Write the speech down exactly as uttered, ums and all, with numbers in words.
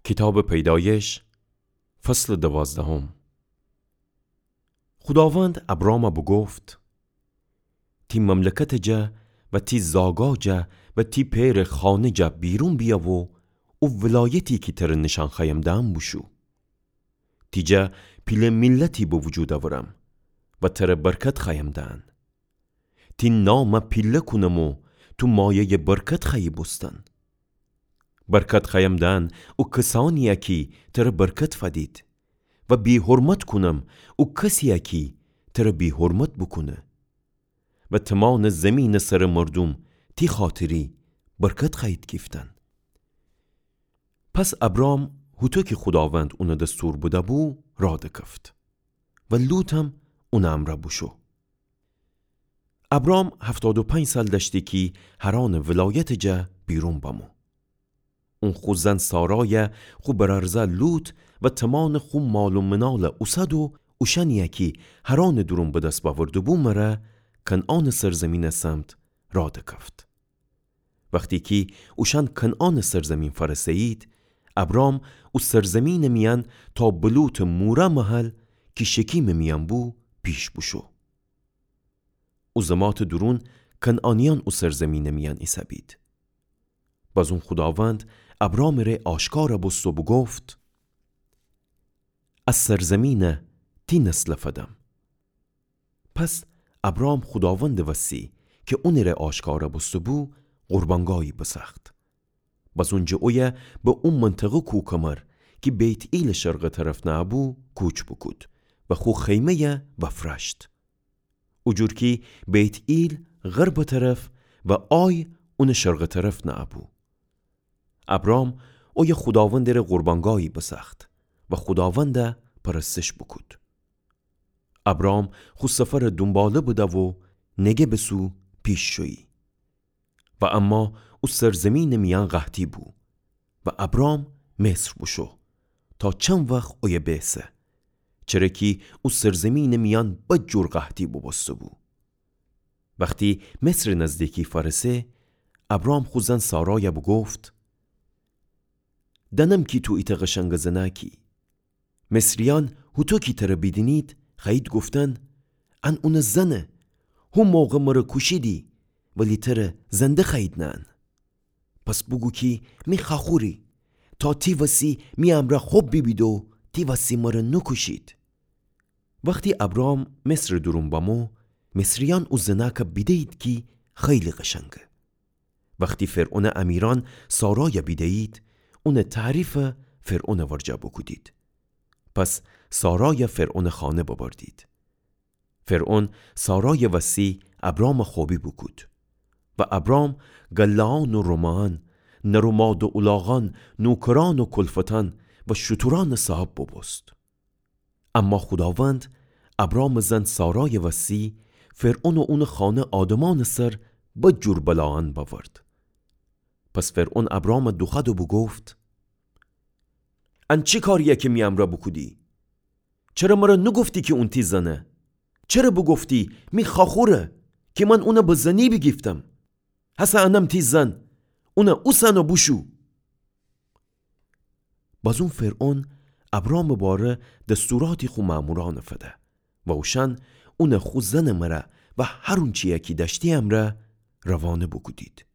کیتابٚ پیدایش، فصلٚ دوازدهم. خوداوند ابرامَ بوگفت: تی مملکتٚ جا و تی زاگا جا و تی پئرٚ خانه جا بیرون بیأ و او ولایتی کی تره نیشأن خوأیم دهم بوشو. تی جا پیله میلتی به وجود اورم و تره برکت خوأیم دهن. تی نامَ پیله کونم و تو مایه‌یٚ برکت خوأیی بوستن. برکت خوأیم دهن او کسأنی‌یَ کی تره برکت فدید و بی‌حرمت کونم او کسی‌یَ کی تره بی‌حرمت بوکونه. و تومانٚ زیمینٚ سرٚ مردوم تی خاطری برکت خوأیید گیفتن. پس ابرام هوطو کی خوداوند اونَ دستور بده‌بو راه دکفت و لوطم اونٚ امرأ بوشو. ابرام هفتاد و پنج سال دأشتی کی حرانٚ ولایتٚ جا بیرون بمو. اون خو زن سارایَ، خو برأرزأ لوط و تومانٚ خو مال و منالَ اوسد و اوشأنی‌یَ کی حرانٚ دورون به دس بأورده‌بو مره کنعانٚ سرزیمینٚ سمت راه دکفت. وختی کی اوشأن کنعانٚ سرزیمین فأرسه‌یید، ابرام او سرزیمینٚ میأن تا به لوطٚ موره محل کی شکیمٚ میأن بو پیش بوشو. او زماتٚ دورون کنعانیأن او سرزیمینٚ میأن ایسه‌بید. بازون خوداوند ابرامٚ ره آشکارَ بوست و بوگفت: ا سرزیمینَ تی نسلَ فدم. پس ابرام خوداوندٚ وسی کی اونٚ ره آشکارَ بوسته‌بو قربانگاهی بسأخت. بازون جٚه اویه به او منطقه کوکمر کی بیت‌ئیلٚ شرقٚ طرف نه‌بو کوچ بوکود و خو خیمه‌یَ بفرأشت. او جور کی بیت‌ئیل غربٚ طرف و آی اونٚ شرقٚ طرف نه‌بو. ابرام اویه خوداوندٚ ره قربانگاهی بسأخت و خوداوندَ پرستش بوکود. ابرام خو سفرٚ دونباله بده و نگبٚ سو پیش شویی. و اما او سرزیمینٚ میأن قحطی بو و ابرام مصر بوشو تا چند وخت اویه بیسه، چره کی او سرزیمینٚ میأن بد جور قحطی بوبوسته‌بو. وختی مصرٚ نزدیکی فأرسه، ابرام خو زن سارایَ بوگفت: دأنم کی تو ایتأ قشنگٚ زنأکی. مصریأن هوطو کی تره بیدینید خوأیید گفتن: ان اونٚ زنه، هو موقع مره کوشیدی ولی تره زنده خوأیید نأن. پس بوگو کی می خوأخوری، تا تی وسی می امرأ خب بیبید و تی وسی مره نوکوشید. وختی ابرام مصرٚ دورون بمو، مصریأن او زنأکَ بیده‌یید کی خیلی قشنگه. وختی فرعونٚ امیرأن سارایَ بیده‌یید، اونٚ تعریفَ فرعونٚ ورجه بوکودید. پس سارایَ فرعونٚ خانه ببردید. فرعون سارایٚ وسی ابرامَ خوبی بوکود. و ابرام گله‌یأن و رومه‌یأن، نر و ماده و الاغأن، نوکرأن و کلفتأن و شتورأنٚ صاحب بوبوست. اما خوداوند ابرامٚ زن سارایٚ وسی فرعون و اونٚ خانه آدمأنٚ سر بد جور بلایأن بأورد. پس فرعون ابرامَ دوخوأد و بوگفت: ان چی کارییه کی می امرأ بوکودی؟ چره مره نوگفتی کی اون تی زنه؟ چره بوگفتی می خوأخوره کی من اونَ به زنی بیگیفتم؟ هسه انم تی زن، اونَ اوسن و بوشو. بازون فرعون ابرامٚ باره دستوراتی خو مأمورأنَ فده و اوشأن اونَ خو زنٚ مره و هر اونچیی کی دأشتی امرأ روانه بوکودید.